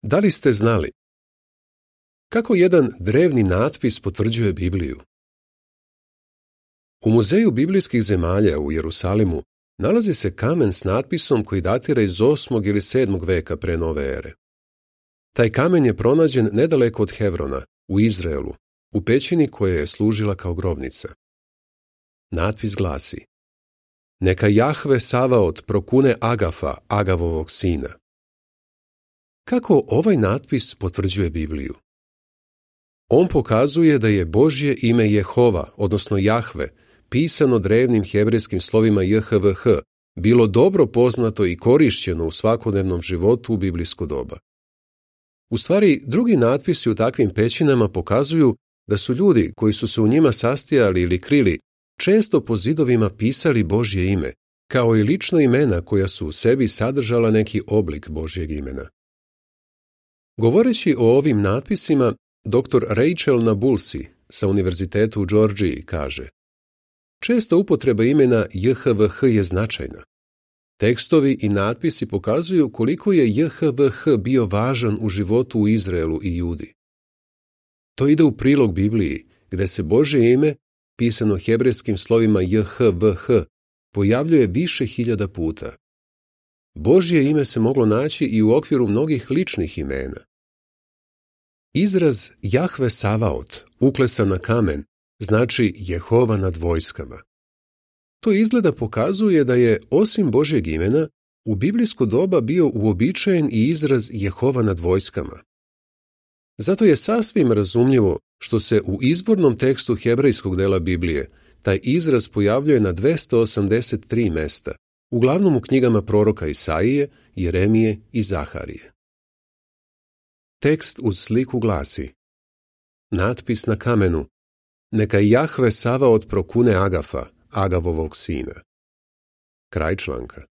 Da li ste znali? Kako jedan drevni natpis potvrđuje Bibliju? U Muzeju biblijskih zemalja u Jerusalimu nalazi se kamen s natpisom koji datira iz 8. ili 7. veka pre nove ere. Taj kamen je pronađen nedaleko od Hevrona, u Izraelu, u pećini koja je služila kao grobnica. Natpis glasi: Neka Jahve Savaot prokune Agafa, Agavovog sina. Kako ovaj natpis potvrđuje Bibliju? On pokazuje da je Božje ime Jehova, odnosno Jahve, pisano drevnim hebrejskim slovima JHVH, bilo dobro poznato i korišćeno u svakodnevnom životu u biblijsko doba. U stvari, drugi natpisi u takvim pećinama pokazuju da su ljudi koji su se u njima sastajali ili krili često po zidovima pisali Božje ime, kao i lična imena koja su u sebi sadržala neki oblik Božjeg imena. Govoreći o ovim natpisima, dr. Rachel Nabulsi sa Univerziteta u Džordžiji kaže: Česta upotreba imena JHVH je značajna. Tekstovi i natpisi pokazuju koliko je JHVH bio važan u životu u Izraelu i Judi. To ide u prilog Bibliji, gde se Božje ime, pisano hebrejskim slovima JHVH, pojavljuje više hiljada puta. Božje ime se moglo naći i u okviru mnogih ličnih imena. Izraz Jahve Savaot, uklesan na kamen, znači Jehova nad vojskama. To izgleda pokazuje da je, osim Božjeg imena, u biblijsko doba bio uobičajen i izraz Jehova nad vojskama. Zato je sasvim razumljivo što se u izvornom tekstu hebrejskog dela Biblije taj izraz pojavljuje na 283 mesta, uglavnom u knjigama proroka Isaije, Jeremije i Zaharije. Tekst uz sliku glasi: Natpis na kamenu: Neka Jahve Savaot prokune Agafa, Agavovog sina. Kraj članka.